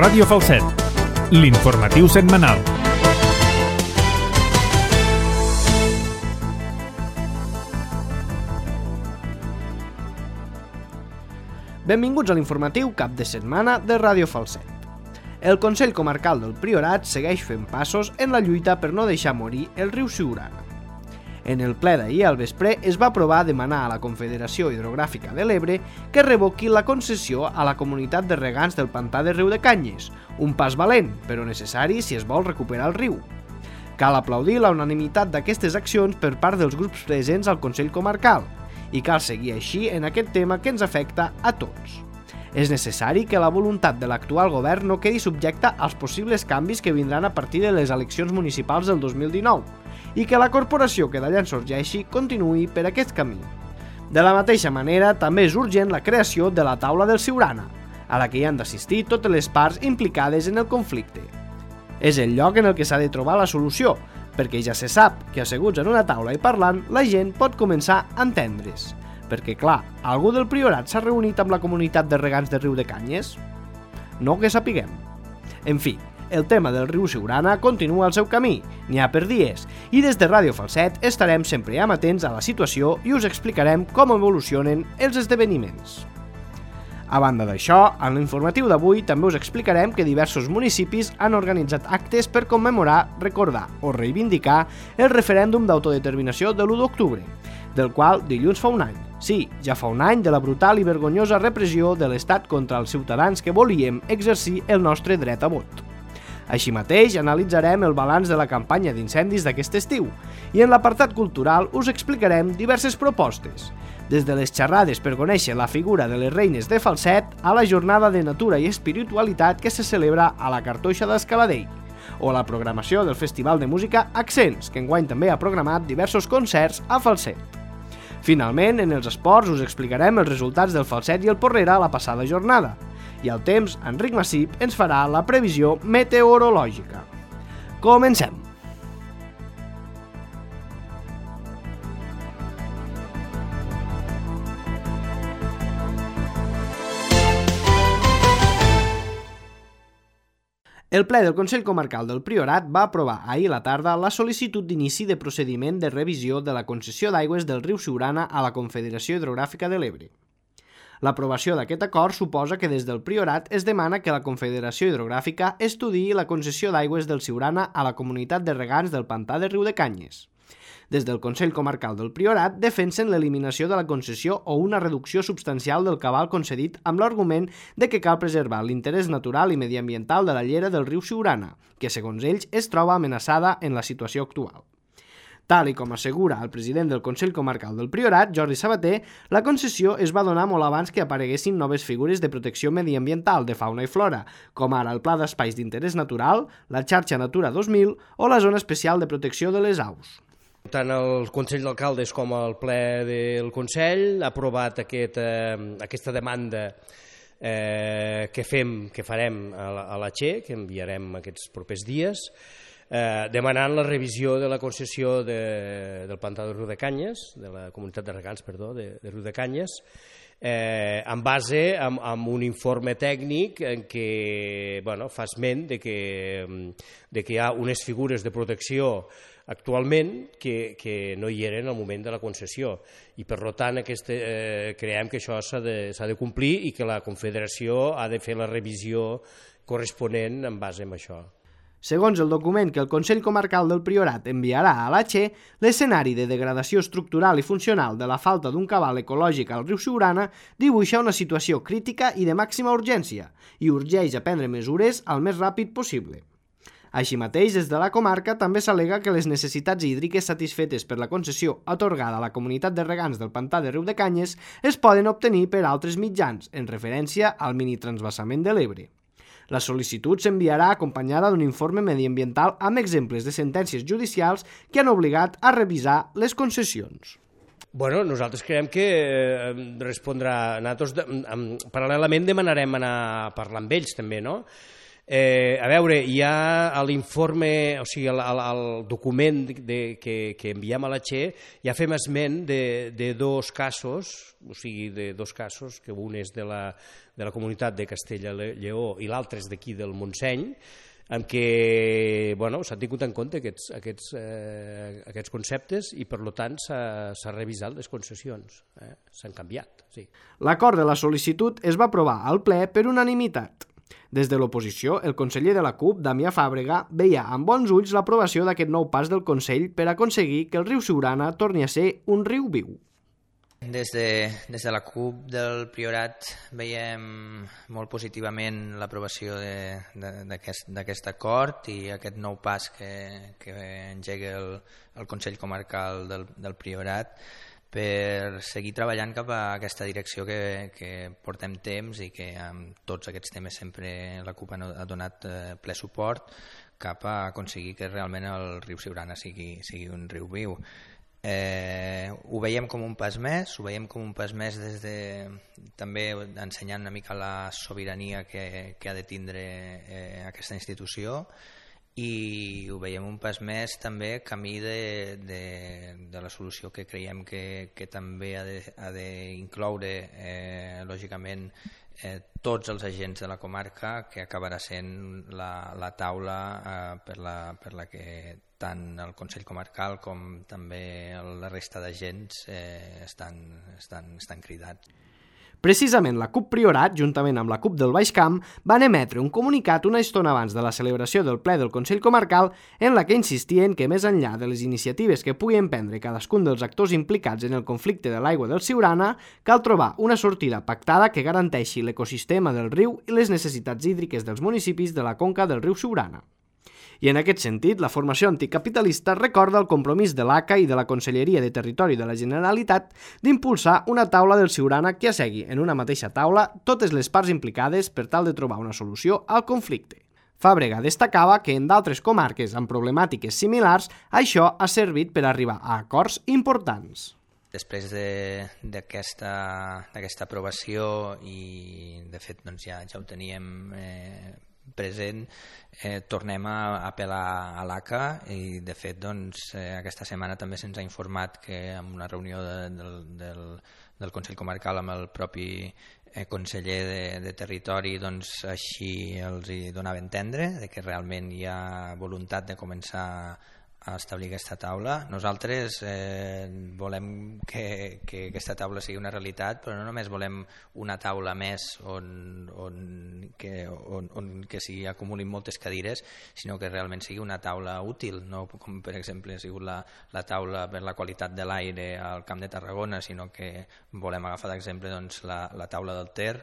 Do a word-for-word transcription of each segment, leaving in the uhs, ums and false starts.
Ràdio Falset, l'informatiu setmanal. Benvinguts a l'informatiu cap de setmana de Ràdio Falset. El Consell Comarcal del Priorat segueix fent passos en la lluita per no deixar morir el riu Siurana. En el ple d'ahir al vespre es va aprovar demanar a la Confederació Hidrogràfica de l'Ebre que revoqui la concessió a la comunitat de regants del pantà de Riudecanyes, un pas valent, però necessari si es vol recuperar el riu. Cal aplaudir la unanimitat d'aquestes accions per part dels grups presents al Consell Comarcal i cal seguir així en aquest tema que ens afecta a tots. És necessari que la voluntat de l'actual govern no quedi subjecta als possibles canvis que vindran a partir de les eleccions municipals del dos mil dinou i que la corporació que d'allà en sorgeixi continuï per aquest camí. De la mateixa manera, també és urgent la creació de la taula del Siurana, a la que hi han d'assistir totes les parts implicades en el conflicte. És el lloc en el que s'ha de trobar la solució, perquè ja se sap que asseguts en una taula i parlant, la gent pot començar a entendre's. Perquè, clar, algú del Priorat s'ha reunit amb la comunitat de regants de Riudecanyes? No que sapiguem. En fi, el tema del riu Siurana continua el seu camí, n'hi ha per dies, i des de Ràdio Falset estarem sempre amatents a la situació i us explicarem com evolucionen els esdeveniments. A banda d'això, en l'informatiu d'avui també us explicarem que diversos municipis han organitzat actes per commemorar, recordar o reivindicar el referèndum d'autodeterminació de l'u d'octubre, del qual dilluns fa un any. Sí, ja fa un any de la brutal i vergonyosa repressió de l'Estat contra els ciutadans que volíem exercir el nostre dret a vot. Així mateix, analitzarem el balanç de la campanya d'incendis d'aquest estiu i en l'apartat cultural us explicarem diverses propostes, des de les xerrades per conèixer la figura de les reines de Falset a la jornada de natura i espiritualitat que se celebra a la Cartoixa d'Escaladell, o la programació del Festival de Música Accents, que enguany també ha programat diversos concerts a Falset. Finalment, en els esports us explicarem els resultats del Falset i el Porrera a la passada jornada, i al temps, Enric Massip ens farà la previsió meteorològica. Comencem! El ple del Consell Comarcal del Priorat va aprovar ahir a la tarda la sol·licitud d'inici de procediment de revisió de la concessió d'aigües del riu Siurana a la Confederació Hidrogràfica de l'Ebre. L'aprovació d'aquest acord suposa que des del Priorat es demana que la Confederació Hidrogràfica estudiï la concessió d'aigües del Siurana a la comunitat de regants del pantà de Riudecanyes. Des del Consell Comarcal del Priorat defensen l'eliminació de la concessió o una reducció substancial del cabal concedit amb l'argument de que cal preservar l'interès natural i mediambiental de la llera del riu Siurana, que segons ells es troba amenaçada en la situació actual. Tal i com assegura el president del Consell Comarcal del Priorat, Jordi Sabater, la concessió es va donar molt abans que apareguessin noves figures de protecció mediambiental de fauna i flora, com ara el Pla d'Espais d'Interès Natural, la Xarxa Natura dos mil o la Zona Especial de Protecció de les Aus. Tant el Consell d'Alcaldes com el ple del Consell ha aprovat aquest, eh, aquesta demanda eh, que fem, que farem a la, a la Che, que enviarem aquests propers dies, eh, demanant la revisió de la concessió de, del pantà de Riudecanyes, de la comunitat de regants, perdó, de, de Riudecanyes, eh, en base a, a un informe tècnic en què bueno, fa esment de que, de que hi ha unes figures de protecció actualment que, que no hi eren al moment de la concessió i per tant aquest, eh, creiem que això s'ha de, s'ha de complir i que la Confederació ha de fer la revisió corresponent en base a això. Segons el document que el Consell Comarcal del Priorat enviarà a la Che, l'escenari de degradació estructural i funcional de la falta d'un cabal ecològic al riu Siurana dibuixa una situació crítica i de màxima urgència i urgeix a prendre mesures el més ràpid possible. Així mateix, des de la comarca també s'al·lega que les necessitats hídriques satisfetes per la concessió atorgada a la comunitat de regants del pantà de Riudecanyes es poden obtenir per altres mitjans, en referència al minitransvasament de l'Ebre. La sol·licitud s'enviarà acompanyada d'un informe mediambiental amb exemples de sentències judicials que han obligat a revisar les concessions. Bueno, nosaltres creiem que eh, respondrà... Nosaltres, de, paral·lelament, demanarem anar a parlar amb ells, també, no?, Eh, a veure, hi ha a l'informe, o sigui, al, al document de, que, que enviem a la Che, ja fem esment de, de dos casos, o sigui, de dos casos, que un és de la, de la comunitat de Castella-Lleó i l'altre és d'aquí del Montseny, en què bueno, s'han tingut en compte aquests, aquests, eh, aquests conceptes i, per tant, s'ha revisat les concessions. Eh? S'han canviat, sí. L'acord de la sol·licitud es va aprovar al ple per unanimitat. Des de l'oposició, el conseller de la CUP, Damià Fàbrega, veia amb bons ulls l'aprovació d'aquest nou pas del Consell per aconseguir que el riu Siurana torni a ser un riu viu. Des de, des de la CUP del Priorat veiem molt positivament l'aprovació d'aquest acord i aquest nou pas que, que engega el, el Consell Comarcal del, del Priorat per seguir treballant cap a aquesta direcció que, que portem temps i que amb tots aquests temes sempre la CUP ha donat ple suport cap a aconseguir que realment el riu Siurana sigui, sigui un riu viu. Eh, ho veiem com un pas més, ho veiem com un pas més des de, també ensenyant una mica la sobirania que, que ha de tindre eh, aquesta institució, i ho veiem un pas més també camí de, de, de la solució que creiem que, que també ha d'incloure eh, lògicament eh, tots els agents de la comarca, que acabarà sent la, la taula eh, per, la, per la que tant el Consell Comarcal com també la resta d'agents eh, estan, estan, estan cridats. Precisament la CUP Priorat, juntament amb la CUP del Baix Camp, van emetre un comunicat una estona abans de la celebració del ple del Consell Comarcal en la que insistien que més enllà de les iniciatives que pugui emprendre cadascun dels actors implicats en el conflicte de l'aigua del Siurana, cal trobar una sortida pactada que garanteixi l'ecosistema del riu i les necessitats hídriques dels municipis de la conca del riu Siurana. I en aquest sentit, la formació anticapitalista recorda el compromís de l'A C A i de la Conselleria de Territori de la Generalitat d'impulsar una taula del Siurana que assegui en una mateixa taula totes les parts implicades per tal de trobar una solució al conflicte. Fàbrega destacava que en d'altres comarques amb problemàtiques similars això ha servit per arribar a acords importants. Després d'aquesta d'aquesta aprovació i de fet doncs, ja, ja ho teníem eh, present, eh, tornem a apel·lar a l'A C A i de fet doncs, eh, aquesta setmana també se'ns ha informat que en una reunió de, del, del, del Consell Comarcal amb el propi eh, conseller de, de Territori doncs, així els hi donava a entendre de que realment hi ha voluntat de començar a establir aquesta taula. Nosaltres eh, volem que, que aquesta taula sigui una realitat, però no només volem una taula més on, on, que, on, on que s'hi acumulin moltes cadires, sinó que realment sigui una taula útil, no com per exemple ha sigut la, la taula per la qualitat de l'aire al Camp de Tarragona, sinó que volem agafar d'exemple doncs, la, la taula del Ter,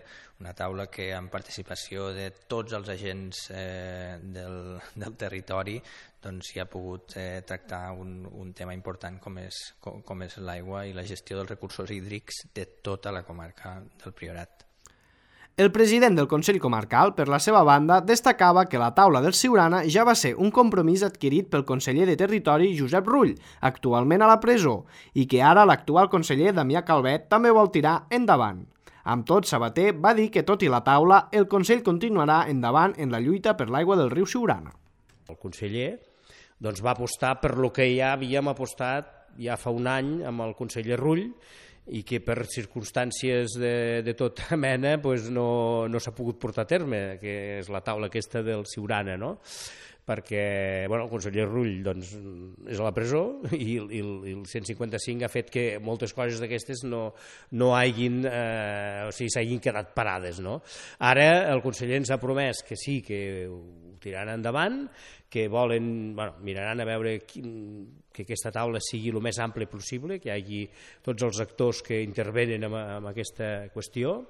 una taula que amb participació de tots els agents eh, del, del territori doncs hi ha pogut eh, tractar un, un tema important com és, com, com és l'aigua i la gestió dels recursos hídrics de tota la comarca del Priorat. El president del Consell Comarcal, per la seva banda, destacava que la taula del Siurana ja va ser un compromís adquirit pel conseller de Territori Josep Rull, actualment a la presó, i que ara l'actual conseller Damià Calvet també vol tirar endavant. Amb tot, Sabater va dir que, tot i la taula, el Consell continuarà endavant en la lluita per l'aigua del riu Siurana. El conseller doncs, va apostar per lo que ja havíem apostat ja fa un any amb el conseller Rull i que per circumstàncies de, de tota mena doncs, no, no s'ha pogut portar a terme, que és la taula aquesta del Siurana, no? Perquè bueno, el conseller Rull doncs, és a la presó i, i, i el cent cinquanta-cinc ha fet que moltes coses d'aquestes no, no hagin, eh, o sigui, s'hagin quedat parades. No? Ara el conseller ens ha promès que sí, que ho tiraran endavant, que volen, bueno, miraran a veure quin, que aquesta taula sigui el més àmplia possible, que hi hagi tots els actors que intervenen en, en aquesta qüestió.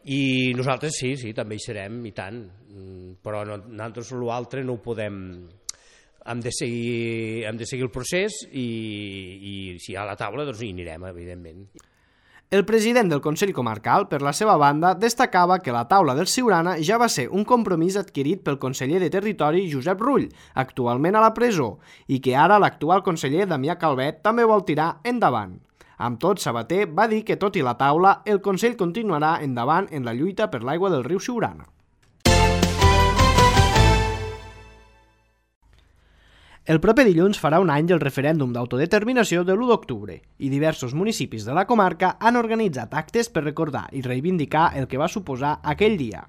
I nosaltres sí, sí, també hi serem, i tant, però no, nosaltres l'altre no ho podem, hem de seguir, hem de seguir el procés i, i si hi ha la taula doncs hi anirem, evidentment. El president del Consell Comarcal, per la seva banda, destacava que la taula del Siurana ja va ser un compromís adquirit pel conseller de Territori Josep Rull, actualment a la presó, i que ara l'actual conseller Damià Calvet també vol tirar endavant. Amb tot, Sabater va dir que, tot i la taula, el Consell continuarà endavant en la lluita per l'aigua del riu Siurana. El proper dilluns farà un any el referèndum d'autodeterminació de l'u d'octubre i diversos municipis de la comarca han organitzat actes per recordar i reivindicar el que va suposar aquell dia.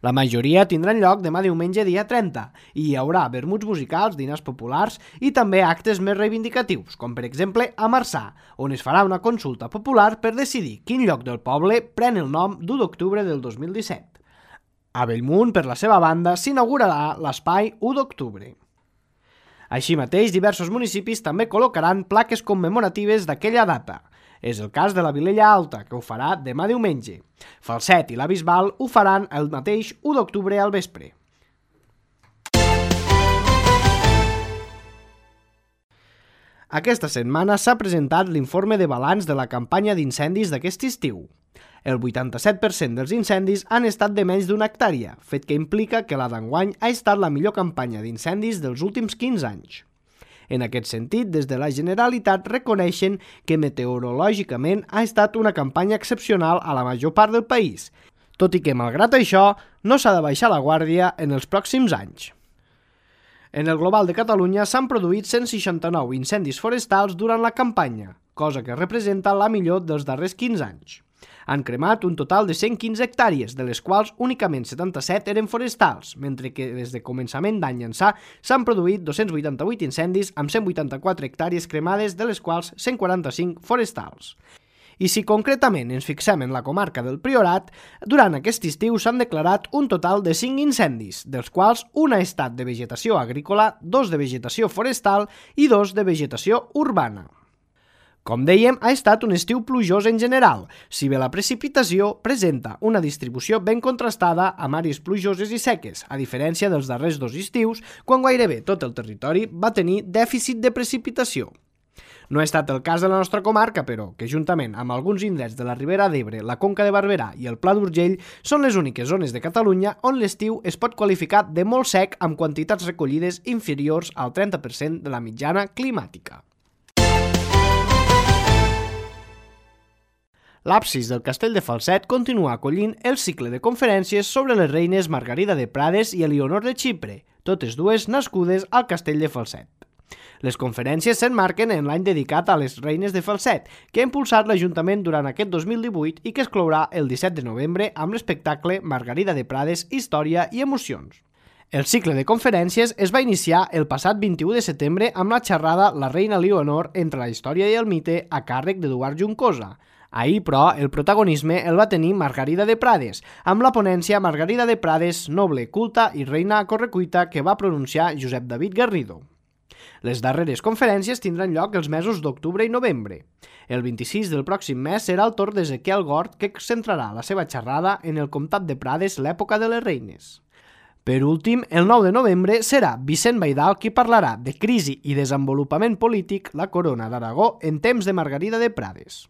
La majoria tindran lloc demà diumenge dia trenta i hi haurà vermuts musicals, dinars populars i també actes més reivindicatius, com per exemple a Marçà, on es farà una consulta popular per decidir quin lloc del poble pren el nom d'u d'octubre del dos mil disset. A Bellmunt, per la seva banda, s'inaugurarà l'espai u d'octubre. Així mateix, diversos municipis també col·locaran plaques commemoratives d'aquella data. És el cas de la Vilella Alta, que ho farà demà diumenge. Falset i la Bisbal ho faran el mateix u d'octubre al vespre. Aquesta setmana s'ha presentat l'informe de balanç de la campanya d'incendis d'aquest estiu. El vuitanta-set per cent dels incendis han estat de menys d'una hectàrea, fet que implica que la d'enguany ha estat la millor campanya d'incendis dels últims quinze anys. En aquest sentit, des de la Generalitat reconeixen que meteorològicament ha estat una campanya excepcional a la major part del país, tot i que, malgrat això, no s'ha de baixar la guàrdia en els pròxims anys. En el global de Catalunya s'han produït cent seixanta-nou incendis forestals durant la campanya, cosa que representa la millor dels darrers quinze anys. Han cremat un total de cent quinze hectàrees, de les quals únicament setanta-set eren forestals, mentre que des de començament d'any ençà s'han produït dos-cents vuitanta-vuit incendis amb cent vuitanta-quatre hectàrees cremades, de les quals cent quaranta-cinc forestals. I si concretament ens fixem en la comarca del Priorat, durant aquest estiu s'han declarat un total de cinc incendis, dels quals un ha estat de vegetació agrícola, dos de vegetació forestal i dos de vegetació urbana. Com dèiem, ha estat un estiu plujós en general, si bé la precipitació presenta una distribució ben contrastada amb àrees plujoses i seques, a diferència dels darrers dos estius, quan gairebé tot el territori va tenir dèficit de precipitació. No ha estat el cas de la nostra comarca, però, que juntament amb alguns indrets de la Ribera d'Ebre, la Conca de Barberà i el Pla d'Urgell són les úniques zones de Catalunya on l'estiu es pot qualificar de molt sec amb quantitats recollides inferiors al trenta per cent de la mitjana climàtica. L'absis del Castell de Falset continua acollint el cicle de conferències sobre les reines Margarida de Prades i Elionor de Xipre, totes dues nascudes al Castell de Falset. Les conferències s'emmarquen en l'any dedicat a les reines de Falset, que ha impulsat l'Ajuntament durant aquest dos mil divuit i que es clourà el disset de novembre amb l'espectacle Margarida de Prades, Història i Emocions. El cicle de conferències es va iniciar el passat vint-i-u de setembre amb la xerrada La reina Elionor entre la història i el mite a càrrec d'Eduard Juncosa. Ahir, però, el protagonisme el va tenir Margarida de Prades, amb la ponència Margarida de Prades, noble, culta i reina a correcuita que va pronunciar Josep David Garrido. Les darreres conferències tindran lloc els mesos d'octubre i novembre. El vint-i-sis del pròxim mes serà el torn d'Ezequiel Gort, que centrarà la seva xerrada en el comtat de Prades, l'època de les reines. Per últim, el nou de novembre serà Vicent Baidal qui parlarà de crisi i desenvolupament polític, la corona d'Aragó en temps de Margarida de Prades.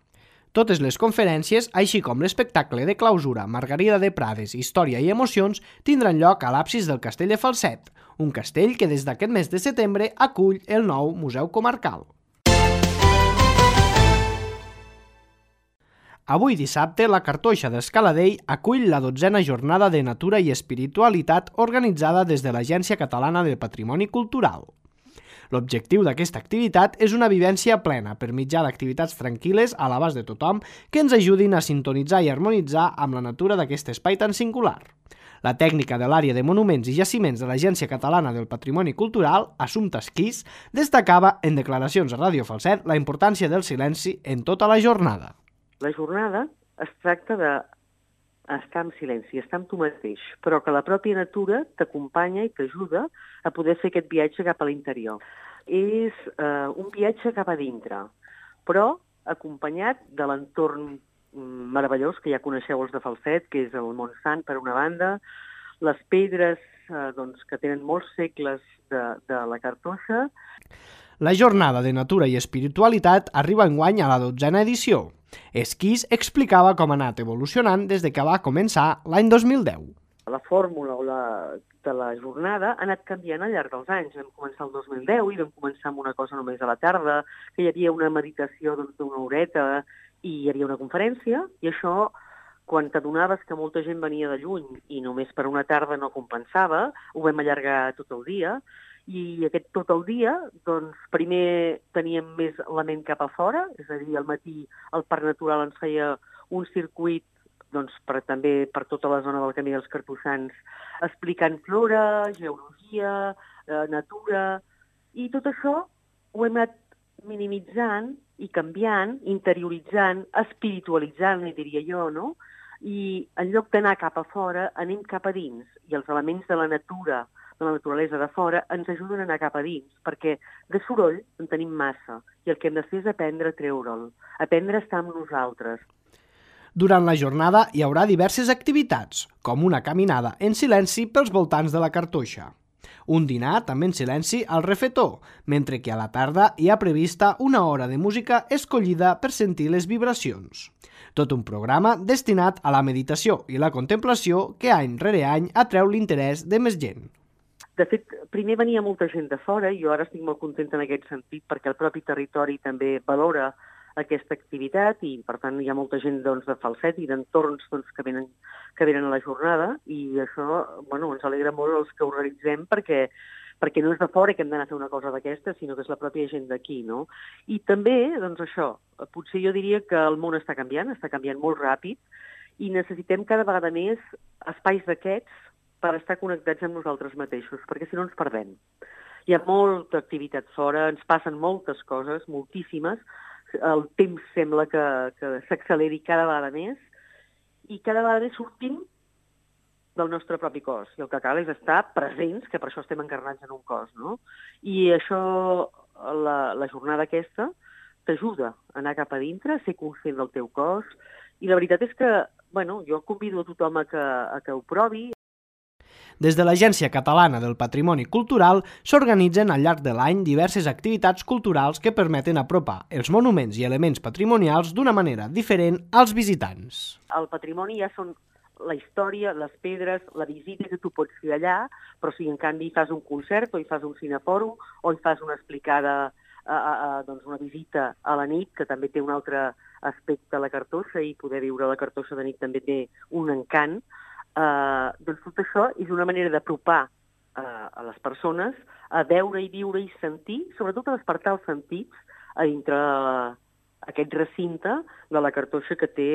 Totes les conferències, així com l'espectacle de clausura Margarida de Prades, Història i Emocions, tindran lloc a l'absis del Castell de Falset, un castell que des d'aquest mes de setembre acull el nou Museu Comarcal. Avui dissabte, la Cartoixa d'Escaladell acull la dotzena jornada de natura i espiritualitat organitzada des de l'Agència Catalana del Patrimoni Cultural. L'objectiu d'aquesta activitat és una vivència plena per mitjà d'activitats tranquil·les a l'abast de tothom que ens ajudin a sintonitzar i harmonitzar amb la natura d'aquest espai tan singular. La tècnica de l'àrea de monuments i jaciments de l'Agència Catalana del Patrimoni Cultural, Assumpta Esquís, destacava en declaracions a Ràdio Falset la importància del silenci en tota la jornada. La jornada es tracta de estar en silenci, estar amb tu mateix, però que la pròpia natura t'acompanya i t'ajuda a poder fer aquest viatge cap a l'interior. És eh, un viatge cap a dintre, però acompanyat de l'entorn meravellós que ja coneixeu els de Falset, que és el Montsant per una banda, les pedres eh, doncs, que tenen molts segles de, de la Cartoixa. La jornada de natura i espiritualitat arriba enguany a la dotzena edició. Esquís explicava com ha anat evolucionant des de que va començar l'any dos mil deu. La fórmula o la, de la jornada ha anat canviant al llarg dels anys. Vam començar el dos mil deu i vam començar amb una cosa només a la tarda, que hi havia una meditació doncs, d'una horeta i hi havia una conferència, i això, quan t'adonaves que molta gent venia de lluny i només per una tarda no compensava, ho vam allargar tot el dia, I aquest tot el dia, doncs, primer teníem més la ment cap a fora, és a dir, al matí el Parc Natural ens feia un circuit doncs, per, també per tota la zona del Camí dels Cartoixans, explicant flora, geologia, eh, natura, i tot això ho hem anat minimitzant i canviant, interioritzant, espiritualitzant, diria jo, no? I en lloc d'anar cap a fora, anem cap a dins, i els elements de la natura, de la naturalesa de fora, ens ajuden a anar cap a dins, perquè de soroll en tenim massa, i el que hem de fer és aprendre a treure'l, aprendre a estar amb nosaltres. Durant la jornada hi haurà diverses activitats, com una caminada en silenci pels voltants de la cartoixa, un dinar també en silenci al refetor, mentre que a la tarda hi ha prevista una hora de música escollida per sentir les vibracions. Tot un programa destinat a la meditació i la contemplació que any rere any atreu l'interès de més gent. De fet, primer venia molta gent de fora i jo ara estic molt contenta en aquest sentit perquè el propi territori també valora aquesta activitat i, per tant, hi ha molta gent doncs, de Falset i d'entorns doncs, que, venen, que venen a la jornada i això bueno, ens alegra molt els que organitzem perquè, perquè no és de fora que hem d'anar a fer una cosa d'aquesta, sinó que és la pròpia gent d'aquí, no? I també, doncs això, potser jo diria que el món està canviant, està canviant molt ràpid i necessitem cada vegada més espais d'aquests per estar connectats amb nosaltres mateixos, perquè si no ens perdem. Hi ha molta activitat fora, ens passen moltes coses, moltíssimes, el temps sembla que, que s'acceleri cada vegada més i cada vegada més sortim del nostre propi cos. I el que cal és estar presents, que per això estem encarnats en un cos, no? I això, la, la jornada aquesta, t'ajuda a anar cap a dintre, a ser conscient del teu cos, i la veritat és que, bueno, jo convido a tothom a que, a que ho provi. Des de l'Agència Catalana del Patrimoni Cultural s'organitzen al llarg de l'any diverses activitats culturals que permeten apropar els monuments i elements patrimonials d'una manera diferent als visitants. El patrimoni ja són la història, les pedres, la visita que tu pots fer allà, però si en canvi fas un concert o hi fas un cinefòrum o hi fas una explicada, a, a, a, doncs una visita a la nit, que també té un altre aspecte a la cartoixa i poder viure la cartoixa de nit també té un encant. Uh, doncs tot això és una manera d'apropar uh, a les persones a veure i viure i sentir, sobretot a despertar els sentits a dintre uh, aquest recinte de la cartoixa que té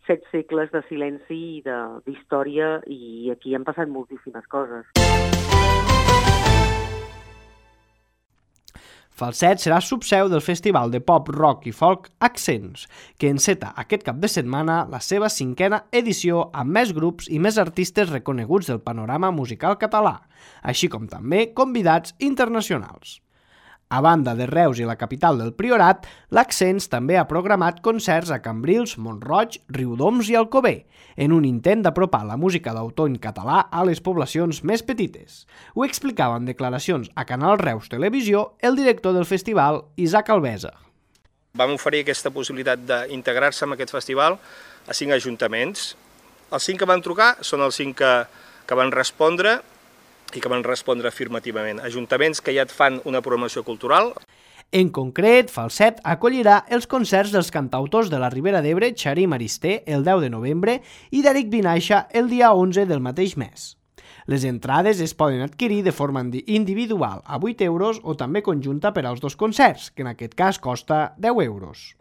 set segles de silenci i d'història i aquí han passat moltíssimes coses. Falset serà subseu del Festival de Pop, Rock i Folk Accents, que enceta aquest cap de setmana la seva cinquena edició amb més grups i més artistes reconeguts del panorama musical català, així com també convidats internacionals. A banda de Reus i la capital del Priorat, l'Accents també ha programat concerts a Cambrils, Mont-roig, Riudoms i Alcover, en un intent d'apropar la música d'autor en català a les poblacions més petites. Ho explicava en declaracions a Canal Reus Televisió el director del festival, Isaac Alvesa. Vam oferir aquesta possibilitat d'integrar-se en aquest festival a cinc ajuntaments. Els cinc que van trucar són els cinc que, que van respondre i que van respondre afirmativament. Ajuntaments que ja et fan una programació cultural. En concret, Falset acollirà els concerts dels cantautors de la Ribera d'Ebre, Xarí Maristé, el deu de novembre i d'Eric Vinaixa el dia onze del mateix mes. Les entrades es poden adquirir de forma individual a vuit euros o també conjunta per als dos concerts, que en aquest cas costa deu euros.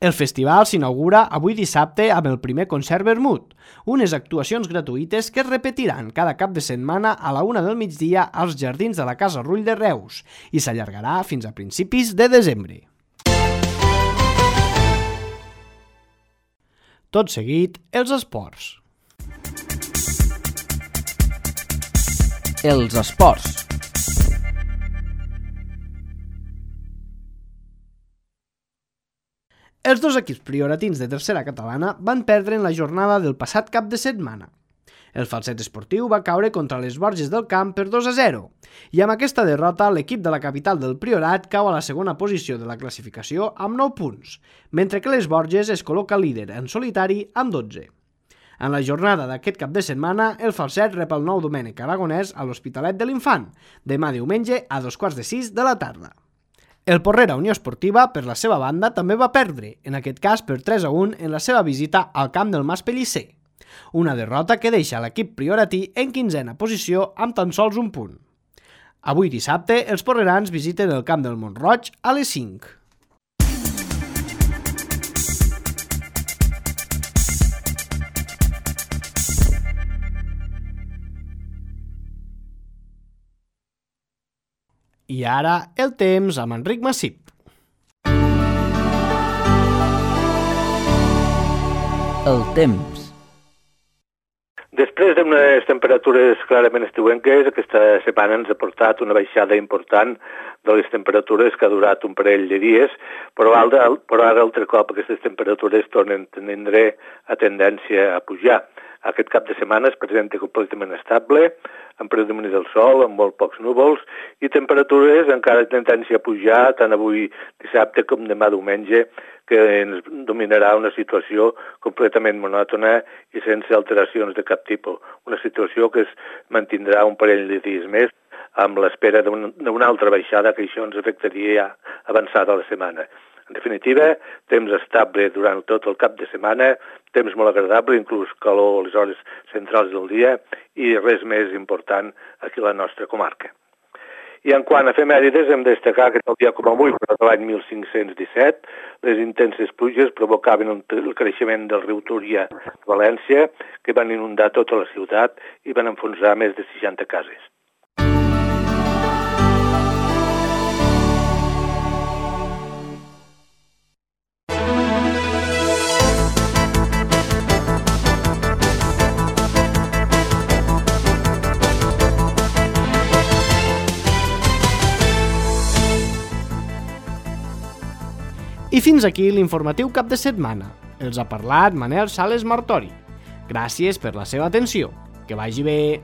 El festival s'inaugura avui dissabte amb el primer concert vermut, unes actuacions gratuïtes que es repetiran cada cap de setmana a la una del migdia als jardins de la Casa Rull de Reus i s'allargarà fins a principis de desembre. Tot seguit, els esports. Els esports. Els dos equips prioratins de tercera catalana van perdre en la jornada del passat cap de setmana. El Falset Esportiu va caure contra les Borges del Camp per dos a zero i amb aquesta derrota l'equip de la capital del Priorat cau a la segona posició de la classificació amb nou punts, mentre que les Borges es col·loca líder en solitari amb dotze. En la jornada d'aquest cap de setmana, el Falset rep el nou Domènec Aragonès a l'Hospitalet de l'Infant, demà diumenge a dos quarts de sis de la tarda. El Porrera Unió Esportiva, per la seva banda, també va perdre, en aquest cas per tres a un en la seva visita al camp del Mas Pellicer. Una derrota que deixa l'equip prioratí en quinzena posició amb tan sols un punt. Avui dissabte, els porrerans visiten el camp del Mont-roig a les cinc. I ara, el temps amb Enric Massip. El temps. Després d'unes temperatures clarament estiuenques, aquesta setmana ens ha portat una baixada important de les temperatures que ha durat un parell de dies, però ara, però ara altre cop aquestes temperatures tornen a tindre a tendència a pujar. Aquest cap de setmana es presenta completament estable, amb predomini del sol, amb molt pocs núvols, i temperatures encara de tendència a pujar tant avui dissabte com demà diumenge, que ens dominarà una situació completament monòtona i sense alteracions de cap tipus. Una situació que es mantindrà un parell de dies més amb l'espera d'una altra baixada que això ens afectaria ja avançada la setmana. En definitiva, temps estable durant tot el cap de setmana, temps molt agradable, inclús calor a les hores centrals del dia i res més important aquí a la nostra comarca. I en quant a efemèrides, hem de destacar que el dia com avui, però de l'any mil cinc-cents disset, les intenses pluges provocaven el creixement del riu Túria a València, que van inundar tota la ciutat i van enfonsar més de seixanta cases. I fins aquí l'informatiu cap de setmana. Els ha parlat Manel Sales Martori. Gràcies per la seva atenció. Que vagi bé.